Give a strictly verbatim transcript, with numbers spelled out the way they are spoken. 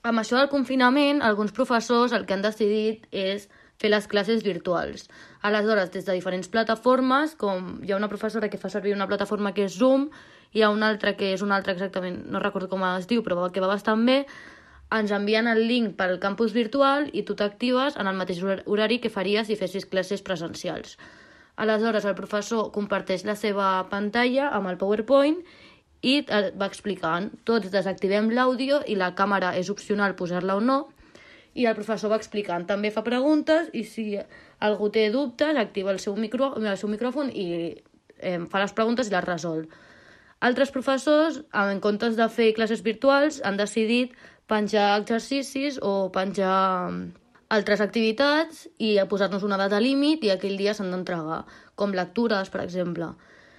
Amb això del confinament, alguns professors el que han decidit és fer les classes virtuals. Aleshores, des de diferents plataformes, com hi ha una professora que fa servir una plataforma que és Zoom, hi ha una altra que és una altra exactament, no recordo com es diu, però que va bastant bé, ens envien el link pel campus virtual i tu t'actives en el mateix horari que faries si fessis classes presencials. Aleshores, el professor comparteix la seva pantalla amb el PowerPoint i va explicant. Tots desactivem l'àudio i la càmera és opcional posar-la o no, i el professor va explicant. També fa preguntes i si algú té dubtes activa el seu, micro, el seu micròfon i eh, fa les preguntes i les resol. Altres professors, en comptes de fer classes virtuals, han decidit penjar exercicis o penjar altres activitats i posar-nos una data límit i aquell dia s'han d'entregar, com lectures, per exemple.